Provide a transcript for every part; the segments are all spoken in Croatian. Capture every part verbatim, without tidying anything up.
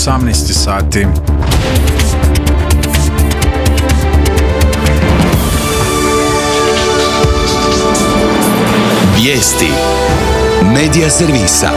osamnaest sati. Vijesti Medija servisa.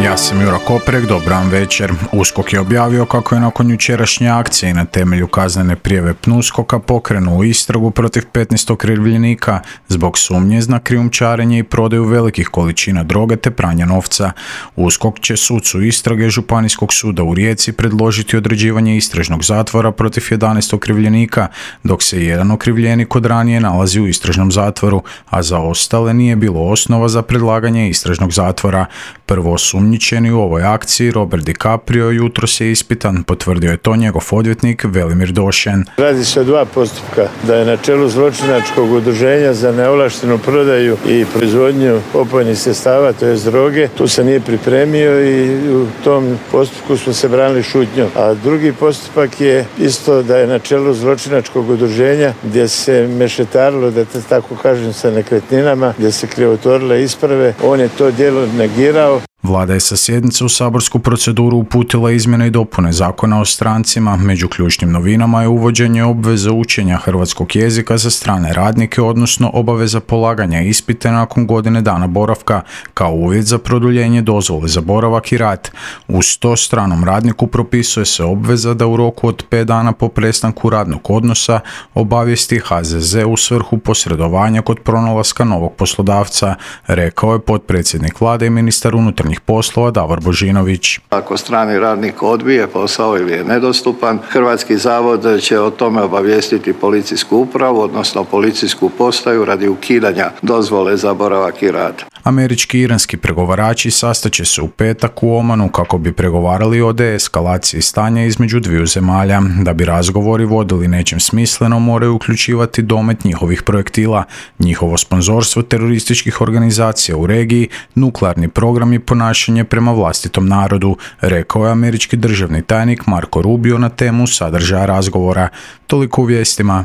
Ja sam Jura Koprek, dobar vam večer. USKOK je objavio kako je nakon jučerašnje akcije na temelju kaznene prijave PNUSKOK-a pokrenuo istragu protiv petnaest okrivljenika zbog sumnje na krijumčarenje i prodaju velikih količina droge te pranja novca. USKOK će sucu istrage Županijskog suda u Rijeci predložiti određivanje istražnog zatvora protiv jedanaest okrivljenika, dok se jedan okrivljenik od ranije nalazi u istražnom zatvoru, a za ostale nije bilo osnova za predlaganje istražnog zatvora. Prvo osumnjičeni u ovoj akciji, Robert DiCaprio, jutros je ispitan, potvrdio je to njegov odvjetnik Velimir Došen. Radi se o dva postupka, da je na čelu zločinačkog udruženja za neovlaštenu prodaju i proizvodnju opojnih sredstava, to je droge, tu se nije pripremio i u tom postupku smo se branili šutnjom. A drugi postupak je isto da je na čelu zločinačkog udruženja gdje se mešetarilo, da te tako kažem, sa nekretninama, gdje se krivotvorile isprave, on je to djelo negirao. Vlada je sa sjednice u saborsku proceduru uputila izmjene i dopune Zakona o strancima. Među ključnim novinama je uvođenje obveze učenja hrvatskog jezika za strane radnike, odnosno obaveza polaganja ispita nakon godine dana boravka kao uvjet za produljenje dozvole za boravak i rad. Uz to stranom radniku propisuje se obveza da u roku od pet dana po prestanku radnog odnosa obavijesti H Z Z u svrhu posredovanja kod pronalaska novog poslodavca, rekao je potpredsjednik Vlade i ministar unutarnjih poslova Davor Božinović. Ako strani radnik odbije posao ili je nedostupan, Hrvatski zavod će o tome obavijestiti policijsku upravu, odnosno policijsku postaju radi ukidanja dozvole za boravak i rad. Američki i iranski pregovarači sastaće se u petak u Omanu kako bi pregovarali o deeskalaciji stanja između dviju zemalja. Da bi razgovori vodili nečem smisleno, moraju uključivati domet njihovih projektila, njihovo sponzorstvo terorističkih organizacija u regiji, nuklearni program i ponašanje prema vlastitom narodu, rekao je američki državni tajnik Marco Rubio na temu sadržaja razgovora. Toliko u vijestima.